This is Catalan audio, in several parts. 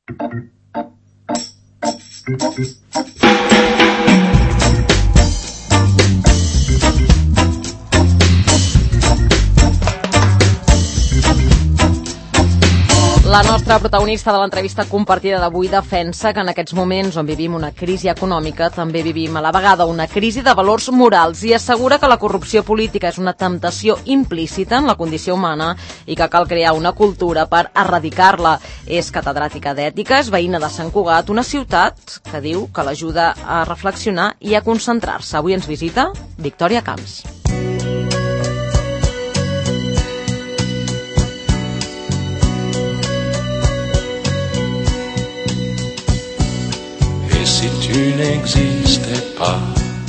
La nostra protagonista de l'entrevista compartida d'avui defensa que en aquests moments on vivim una crisi econòmica també vivim a la vegada una crisi de valors morals i assegura que la corrupció política és una temptació implícita en la condició humana i que cal crear una cultura per erradicar-la. És catedràtica d'ètica, és veïna de Sant Cugat, una ciutat que diu que l'ajuda a reflexionar i a concentrar-se. Avui ens visita Victòria Camps. Si tu n'existais pas.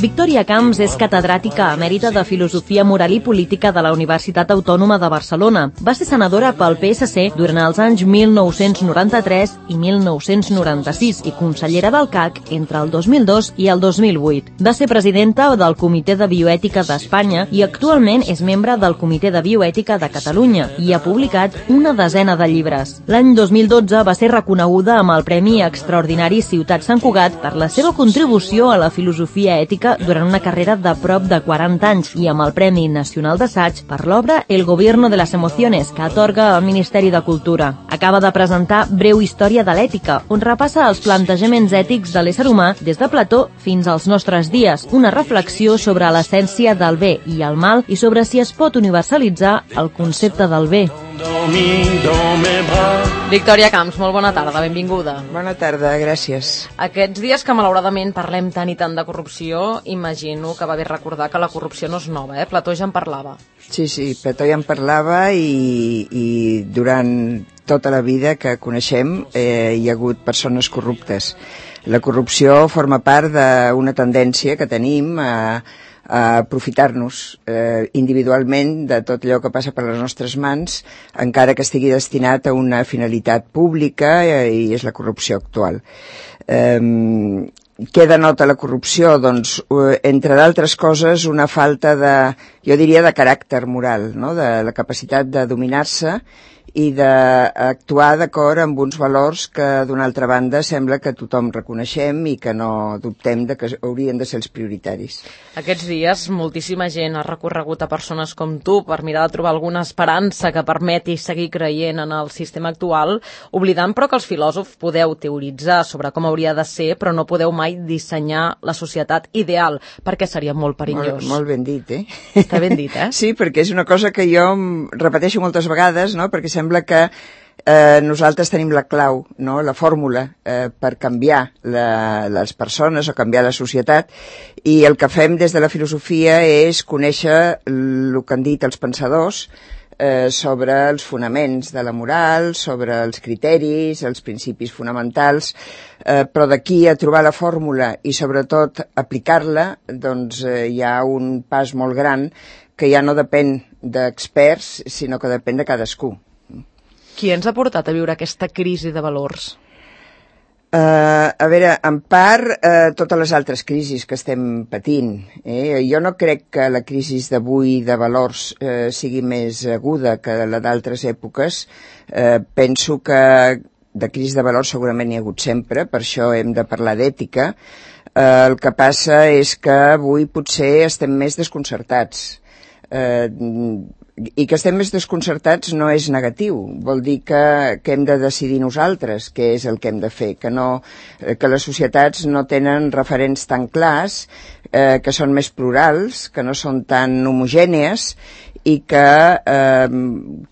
Victòria Camps és catedràtica emèrita de Filosofia Moral i Política de la Universitat Autònoma de Barcelona. Va ser senadora pel PSC durant els anys 1993 i 1996 i consellera del CAC entre el 2002 i el 2008. Va ser presidenta del Comitè de Bioètica d'Espanya i actualment és membre del Comitè de Bioètica de Catalunya i ha publicat una desena de llibres. L'any 2012 va ser reconeguda amb el Premi Extraordinari Ciutat Sant Cugat per la seva contribució a la filosofia ètica durant una carrera de prop de 40 anys i amb el Premi Nacional d'Assaig per l'obra El Gobierno de las Emociones, que atorga el Ministeri de Cultura. Acaba de presentar Breu història de l'ètica, on repassa els plantejaments ètics de l'ésser humà des de Plató fins als nostres dies, una reflexió sobre l'essència del bé i el mal i sobre si es pot universalitzar el concepte del bé. Victòria Camps, molt bona tarda, benvinguda. Bona tarda, gràcies. Aquests dies que malauradament parlem tant i tant de corrupció, imagino que va bé recordar que la corrupció no és nova, Plató ja en parlava. Sí, Plató ja en parlava i durant tota la vida que coneixem hi ha hagut persones corruptes. La corrupció forma part d'una tendència que tenim a aprofitar-nos individualment de tot allò que passa per les nostres mans, encara que estigui destinat a una finalitat pública i és la corrupció actual. Què denota la corrupció? Doncs, entre d'altres coses, una falta de, jo diria, de caràcter moral, no? De la capacitat de dominar-se i d'actuar d'acord amb uns valors que, d'una altra banda, sembla que tothom reconeixem i que no dubtem de que haurien de ser els prioritaris. Aquests dies moltíssima gent ha recorregut a persones com tu per mirar de trobar alguna esperança que permeti seguir creient en el sistema actual, oblidant però que els filòsofs podeu teoritzar sobre com hauria de ser, però no podeu mai dissenyar la societat ideal, perquè seria molt perillós. Molt ben dit, Està ben dit, Sí, perquè és una cosa que jo repeteixo moltes vegades, no?, perquè sembla que nosaltres tenim la clau, no?, la fórmula per canviar les persones o canviar la societat, i el que fem des de la filosofia és conèixer el que han dit els pensadors sobre els fonaments de la moral, sobre els criteris, els principis fonamentals, però d'aquí a trobar la fórmula i sobretot aplicar-la, doncs hi ha un pas molt gran que ja no depèn d'experts, sinó que depèn de cadascú. Qui ens ha portat a viure aquesta crisi de valors? A veure, en part, totes les altres crisis que estem patint. Jo no crec que la crisi d'avui de valors sigui més aguda que la d'altres èpoques. Penso que de crisi de valors segurament n'hi ha hagut sempre, per això hem de parlar d'ètica. El que passa és que avui potser estem més desconcertats. I que estem més desconcertats no és negatiu, vol dir que hem de decidir nosaltres què és el que hem de fer, que les societats no tenen referents tan clars, que són més plurals, que no són tan homogènies i que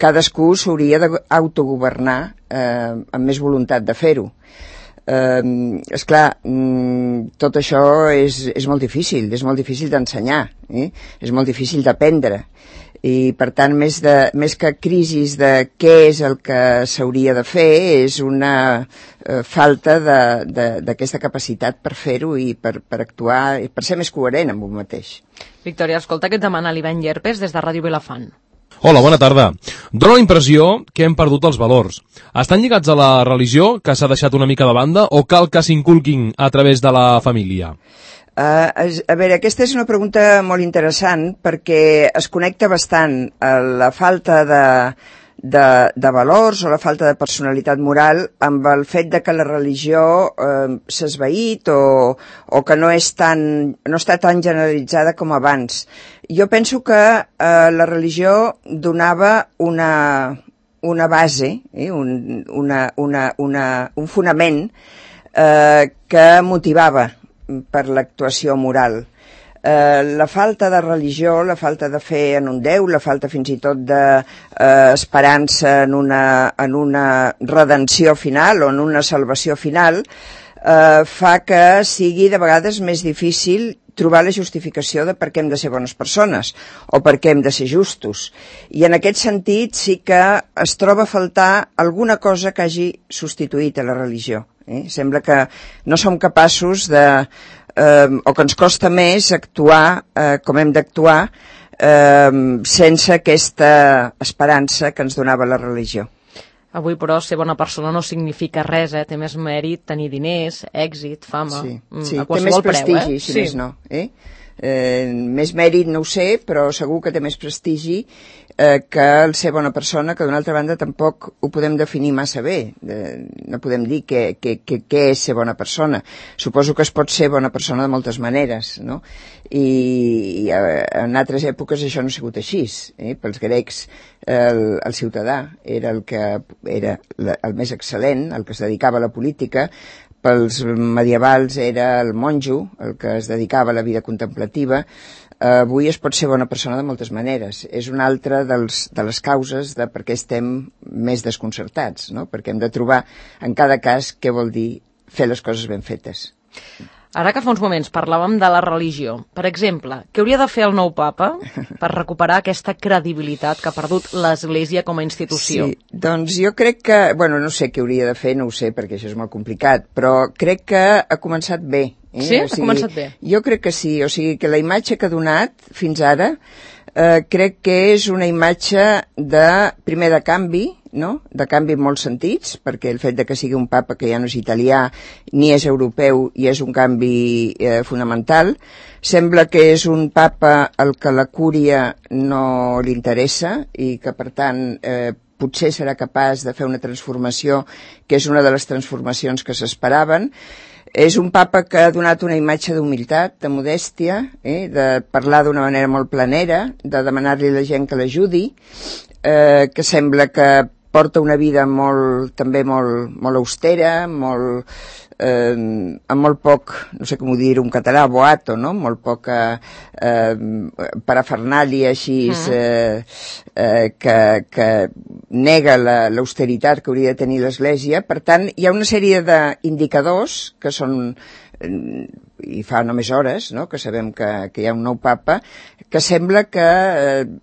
cadascú s'hauria d'autogovernar amb més voluntat de fer-ho. Esclar, tot això és molt difícil d'ensenyar, és molt difícil d'aprendre. I per tant més que crisis de què és el que s'hauria de fer és una falta d'aquesta capacitat per fer-ho i per actuar i per ser més coherent amb un mateix. Victòria, escolta que et demana l'Ivan Llerpes des de Ràdio Vilafant. Hola, bona tarda. Dóna la impressió que hem perdut els valors. Estan lligats a la religió, que s'ha deixat una mica de banda, o cal que s'inculquin a través de la família? A veure, aquesta és una pregunta molt interessant perquè es connecta bastant a la falta de valors o la falta de personalitat moral amb el fet de que la religió s'ha esvaït o que no està tan generalitzada com abans. Jo penso que la religió donava una base, un fonament que motivava per l'actuació moral. La falta de religió, la falta de fe en un Déu, la falta fins i tot d'esperança en una redenció final o en una salvació final, fa que sigui de vegades més difícil trobar la justificació de per què hem de ser bones persones o per què hem de ser justos. I en aquest sentit sí que es troba a faltar alguna cosa que hagi substituït a la religió. Sembla que no som capaços o que ens costa més actuar com hem d'actuar sense aquesta esperança que ens donava la religió. Avui, però, ser bona persona no significa res, té més mèrit tenir diners, èxit, fama, sí, a qualsevol té més prestigi, preu, si més no. Més mèrit no ho sé, però segur que té més prestigi que el ser bona persona, que d'una altra banda tampoc ho podem definir massa bé. No podem dir què és ser bona persona. Suposo que es pot ser bona persona de moltes maneres, no? I en altres èpoques això no ha sigut així. Pels grecs el ciutadà era el més excel·lent, el que es dedicava a la política. Pels medievals era el monjo, el que es dedicava a la vida contemplativa. Avui es pot ser bona persona de moltes maneres. És una altra de les causes de per què estem més desconcertats, no? Perquè hem de trobar en cada cas què vol dir fer les coses ben fetes. Ara que fa uns moments parlàvem de la religió, per exemple, què hauria de fer el nou papa per recuperar aquesta credibilitat que ha perdut l'Església com a institució? Sí, doncs jo crec que, no sé què hauria de fer, no ho sé, perquè això és molt complicat, però crec que ha començat bé. Sí? Ha començat bé? Jo crec que sí, o sigui que la imatge que ha donat fins ara crec que és una imatge primer de canvi, no? De canvi en molts sentits, perquè el fet de que sigui un papa que ja no és italià ni és europeu i és un canvi fonamental. Sembla que és un papa al que la cúria no li interessa i que per tant potser serà capaç de fer una transformació que és una de les transformacions que s'esperaven. És un papa que ha donat una imatge d'humilitat, de modèstia, de parlar d'una manera molt planera, de demanar-li a la gent que l'ajudi, que sembla que porta una vida també molt austera, amb molt poc, no sé com ho dir en català, boato, no? Molt poca parafernàlia així que nega l'austeritat que hauria de tenir l'Església. Per tant, hi ha una sèrie d'indicadors que són, i fa només hores, no?, que sabem que hi ha un nou papa, que sembla que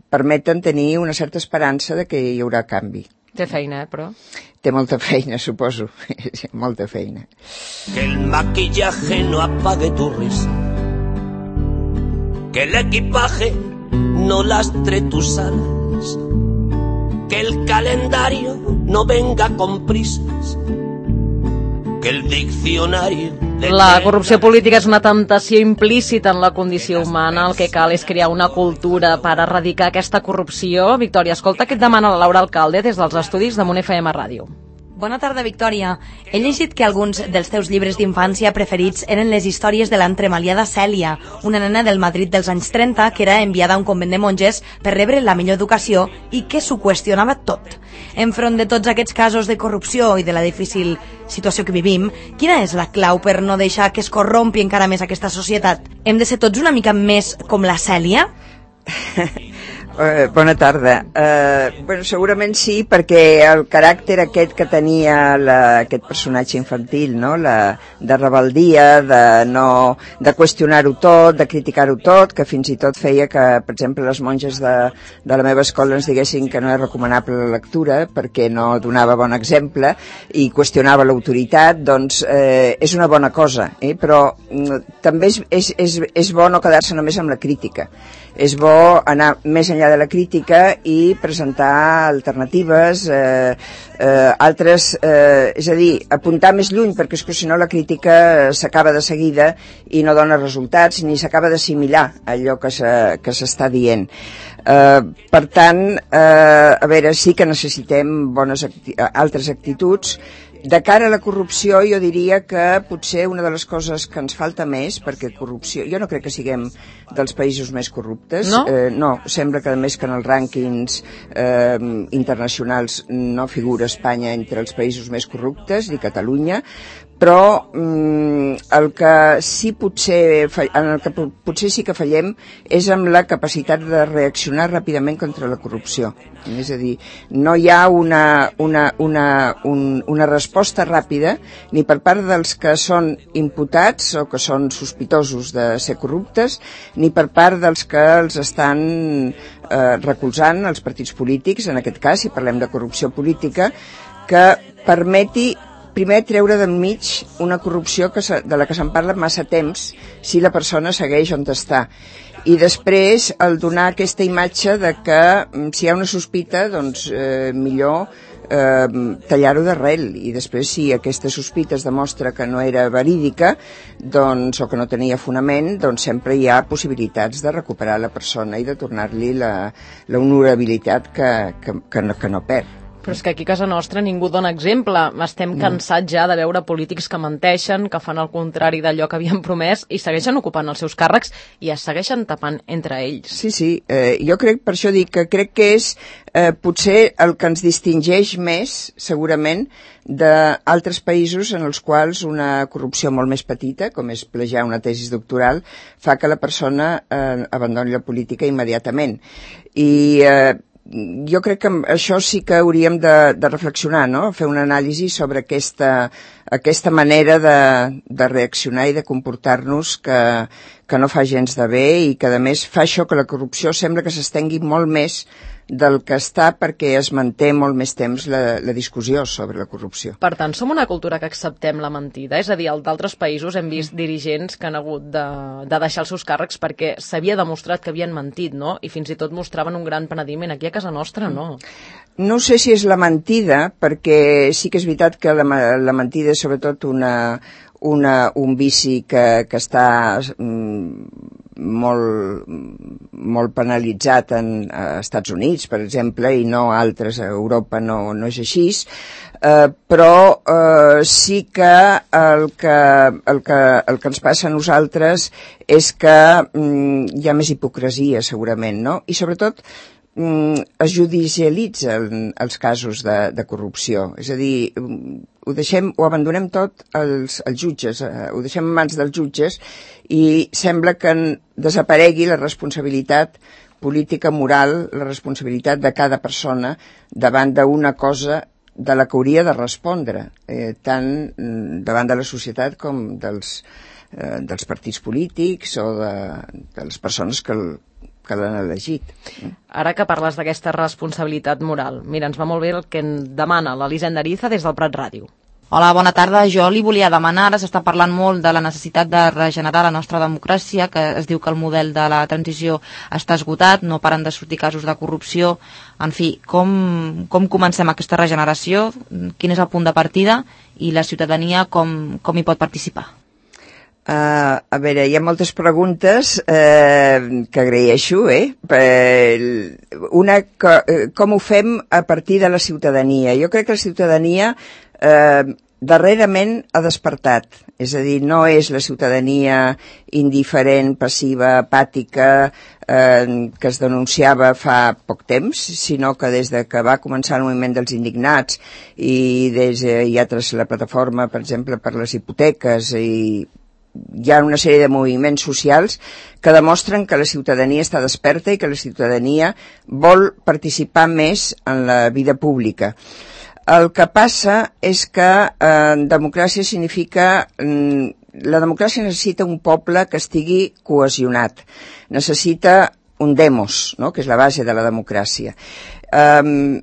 permeten tenir una certa esperança de que hi haurà canvi. Té feina, però? Té molta feina, suposo. Molta feina. Que el maquillaje no apague tu risa, que el equipaje no lastre tus alas, que el calendario no venga con prisas, que el diccionario... La corrupció política és una temptació implícita en la condició humana. El que cal és crear una cultura per erradicar aquesta corrupció. Victòria, escolta què et demana la Laura Alcalde des dels estudis de Munt FM Ràdio. Bona tarda, Victòria. He llegit que alguns dels teus llibres d'infància preferits eren les històries de l'entremaliada Cèlia, una nena del Madrid dels anys 30 que era enviada a un convent de monges per rebre la millor educació i que s'ho qüestionava tot. Enfront de tots aquests casos de corrupció i de la difícil situació que vivim, quina és la clau per no deixar que es corrompi encara més aquesta societat? Hem de ser tots una mica més com la Cèlia? Bona tarda. Segurament sí, perquè el caràcter aquest que tenia aquest personatge infantil, no? De rebeldia, de qüestionar-ho tot, de criticar-ho tot, que fins i tot feia que, per exemple, les monges de la meva escola ens diguessin que no és recomanable la lectura perquè no donava bon exemple i qüestionava l'autoritat, doncs és una bona cosa, però també és bo no quedar-se només amb la crítica. És bo anar més enllà de la crítica i presentar alternatives, altres, és a dir, apuntar més lluny, perquè és que si no la crítica s'acaba de seguida i no dona resultats ni s'acaba d'assimilar allò que s'està dient. Per tant, a veure, sí que necessitem altres actituds. De cara a la corrupció, jo diria que potser una de les coses que ens falta més, perquè corrupció... Jo no crec que siguem dels països més corruptes. No? No, sembla que a més que en els rànquings internacionals no figura Espanya entre els països més corruptes, ni Catalunya, però el que sí en el que potser sí que fallem és amb la capacitat de reaccionar ràpidament contra la corrupció. És a dir, no hi ha una resposta ràpida ni per part dels que són imputats o que són sospitosos de ser corruptes, ni per part dels que els estan recolzant, els partits polítics, en aquest cas, si parlem de corrupció política, que permeti primer treure d'enmig una corrupció de la que se'n parla massa temps si la persona segueix on està. I després el donar aquesta imatge de que si hi ha una sospita, doncs millor tallar-ho d'arrel, i després si aquesta sospita es demostra que no era verídica, doncs, o que no tenia fonament, doncs sempre hi ha possibilitats de recuperar la persona i de tornar-li la honorabilitat que no perd. Però és que aquí a casa nostra ningú dona exemple. Estem cansats ja de veure polítics que menteixen, que fan el contrari d'allò que havien promès i segueixen ocupant els seus càrrecs i es segueixen tapant entre ells. Sí, jo crec, per això dic que crec que és potser el que ens distingeix més, segurament, d'altres països en els quals una corrupció molt més petita, com és plagiar una tesi doctoral, fa que la persona abandoni la política immediatament. I jo crec que això sí que hauríem de reflexionar, no? Fer una anàlisi sobre aquesta manera de reaccionar i de comportar-nos que no fa gens de bé i que a més fa això que la corrupció sembla que s'estengui molt més del que està perquè es manté molt més temps la discussió sobre la corrupció. Per tant, som una cultura que acceptem la mentida, és a dir, d'altres països hem vist dirigents que han hagut de deixar els seus càrrecs perquè s'havia demostrat que havien mentit, no? I fins i tot mostraven un gran penediment. Aquí a casa nostra, no. No sé si és la mentida, perquè sí que és veritat que la mentida és sobretot un vici que està molt penalitzat als Estats Units, per exemple, i no a altres, a Europa no és així, però sí que el que ens passa a nosaltres és que hi ha més hipocresia, segurament, no? I sobretot es judicialitzen els casos de corrupció, és a dir, ho abandonem tot als jutges, ho deixem en mans dels jutges i sembla que desaparegui la responsabilitat política, moral, la responsabilitat de cada persona davant d'una cosa de la que hauria de respondre, tant davant de la societat com dels partits polítics o de les persones que l'han elegit. Ara que parles d'aquesta responsabilitat moral, mira, ens va molt bé el que en demana l'Elisenda Ariza des del Prat Ràdio. Hola, bona tarda. Jo li volia demanar, ara s'està parlant molt de la necessitat de regenerar la nostra democràcia, que es diu que el model de la transició està esgotat, no paren de sortir casos de corrupció. En fi, com comencem aquesta regeneració? Quin és el punt de partida? I la ciutadania com hi pot participar? A veure, hi ha moltes preguntes que agraeixo, Una, com ho fem a partir de la ciutadania? Jo crec que la ciutadania darrerament ha despertat, és a dir, no és la ciutadania indiferent, passiva, apàtica, que es denunciava fa poc temps, sinó que des de que va començar el moviment dels indignats i hi ha la plataforma, per exemple, per les hipoteques, i hi ha una sèrie de moviments socials que demostren que la ciutadania està desperta i que la ciutadania vol participar més en la vida pública. El que passa és que democràcia significa... La democràcia necessita un poble que estigui cohesionat. Necessita un demos, no?, que és la base de la democràcia.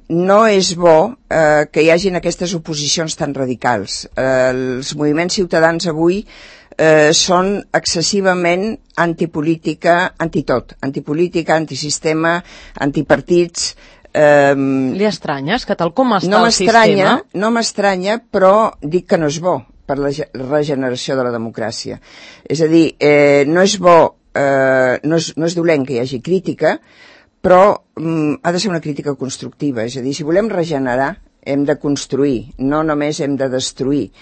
No és bo que hi hagin aquestes oposicions tan radicals. Els moviments ciutadans avui són excessivament antipolítica, antitot. Antipolítica, antisistema, antipartits... Li estranyes que tal com està el sistema? No m'estranya, però dic que no és bo per la regeneració de la democràcia. És a dir, no és bo, no és dolent que hi hagi crítica, però ha de ser una crítica constructiva, és a dir, si volem regenerar, hem de construir, no només hem de destruir.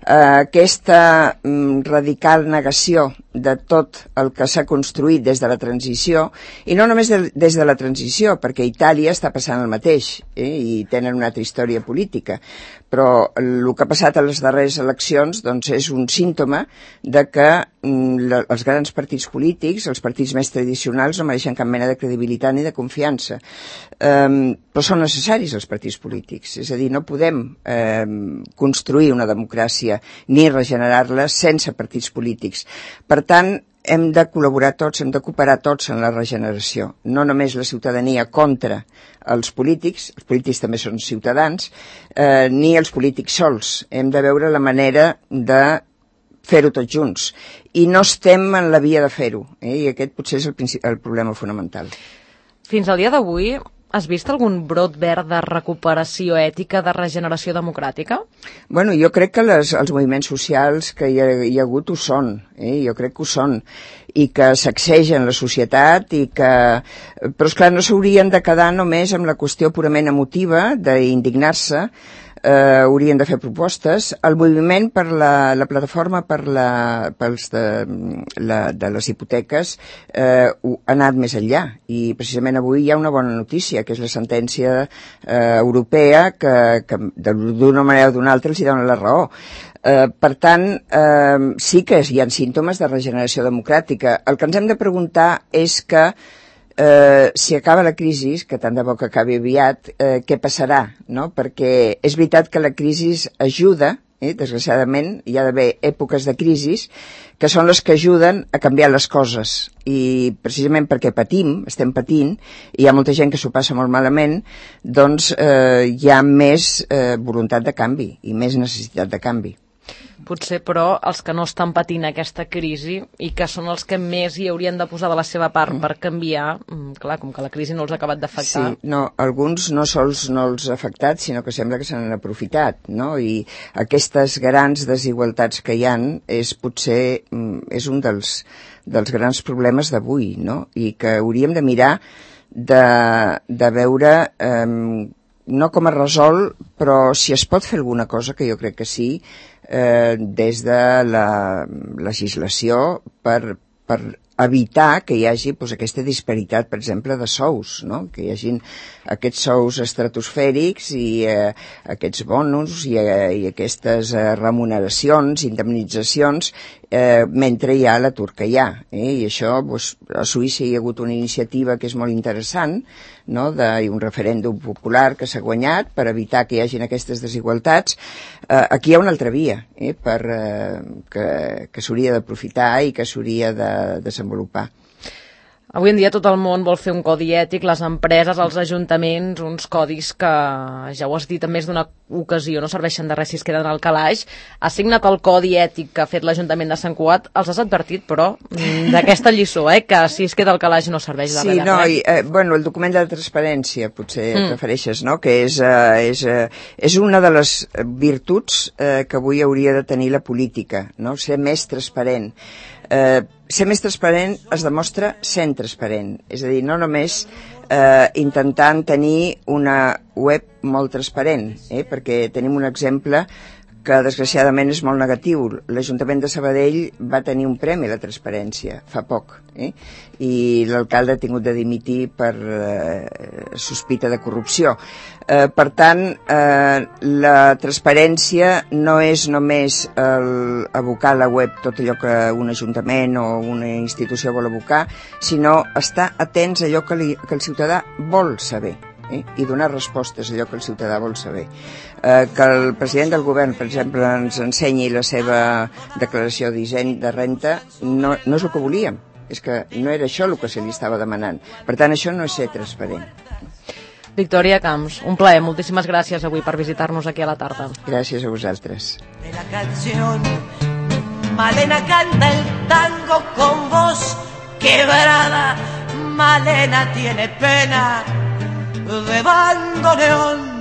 Aquesta radical negació de tot el que s'ha construït des de la transició, i no només des de la transició, perquè a Itàlia està passant el mateix, i tenen una altra història política, però el que ha passat a les darreres eleccions doncs, és un símptoma de que els grans partits polítics, els partits més tradicionals, no mereixen cap mena de credibilitat ni de confiança. Però són necessaris els partits polítics, és a dir, no podem construir una democràcia ni regenerar-la sense partits polítics. Per tant, hem de col·laborar tots, hem de cooperar tots en la regeneració, no només la ciutadania contra els polítics també són ciutadans, ni els polítics sols. Hem de veure la manera de fer-ho tots junts. I no estem en la via de fer-ho, i aquest potser és el problema fonamental. Fins al dia d'avui, has vist algun brot verd de recuperació ètica, de regeneració democràtica? Bueno, jo crec que els moviments socials que hi ha hagut ho són, jo crec que ho són, i que sacsegen la societat, però esclar, no s'haurien de quedar només amb la qüestió purament emotiva d'indignar-se, haurien de fer propostes. El moviment per la plataforma de les hipoteques ha anat més enllà, i precisament avui hi ha una bona notícia, que és la sentència europea que d'una manera o d'una altra els hi dona la raó. Per tant, sí que hi ha símptomes de regeneració democràtica. El que ens hem de preguntar és que si acaba la crisi, que tant de bo que acabi aviat, què passarà, no? Perquè és veritat que la crisi ajuda, desgraciadament hi ha d'haver èpoques de crisi que són les que ajuden a canviar les coses, i precisament perquè estem patint, i hi ha molta gent que s'ho passa molt malament, doncs hi ha més voluntat de canvi i més necessitat de canvi. Potser, però, els que no estan patint aquesta crisi i que són els que més hi haurien de posar de la seva part per canviar, clar, com que la crisi no els ha acabat d'afectar. Sí, no, alguns no sols no els ha afectat, sinó que sembla que se n'han aprofitat, no? I aquestes grans desigualtats que hi ha potser és un dels grans problemes d'avui, no? I que hauríem de mirar de veure no com es resol, però si es pot fer alguna cosa, que jo crec que sí, des de la legislació per evitar que hi hagi aquesta disparitat, per exemple, de sous, no? Que hi hagin aquests sous estratosfèrics i aquests bonus i aquestes remuneracions, indemnitzacions, mentre hi ha l'atur que hi ha. I això, a Suïssa hi ha hagut una iniciativa que és molt interessant, no? Un referèndum popular que s'ha guanyat per evitar que hi hagin aquestes desigualtats. Aquí hi ha una altra via que s'hauria d'aprofitar i que s'hauria de desenvolupar. Avui en dia tot el món vol fer un codi ètic, les empreses, els ajuntaments, uns codis que, ja ho has dit en més d'una ocasió, no serveixen de res si es queden al calaix. Has signat el codi ètic que ha fet l'Ajuntament de Sant Cugat, els has advertit, però, d'aquesta lliçó, que si es queda al calaix no serveix de res. Sí, no, el document de transparència, potser et refereixes, no?, que és una de les virtuts que avui hauria de tenir la política, no?, ser més transparent. Ser més transparent es demostra sent transparent, és a dir, no només intentant tenir una web molt transparent, perquè tenim un exemple que desgraciadament és molt negatiu. L'Ajuntament de Sabadell va tenir un premi a la transparència fa poc, i l'alcalde ha tingut de dimitir per sospita de corrupció. Per tant, la transparència no és només abocar a la web tot allò que un ajuntament o una institució vol abocar, sinó estar atents a allò que el ciutadà vol saber, i donar respostes a allò que el ciutadà vol saber. Que el president del govern, per exemple, ens ensenyi la seva declaració de renta no és el que volíem, és que no era això el que se li estava demanant. Per tant, això no és ser transparent. Victòria Camps, un plaer, moltíssimes gràcies avui per visitar-nos aquí a la tarda. Gràcies a vosaltres. De la canción, Malena canta el tango con voz quebrada, Malena tiene pena de bandoneón.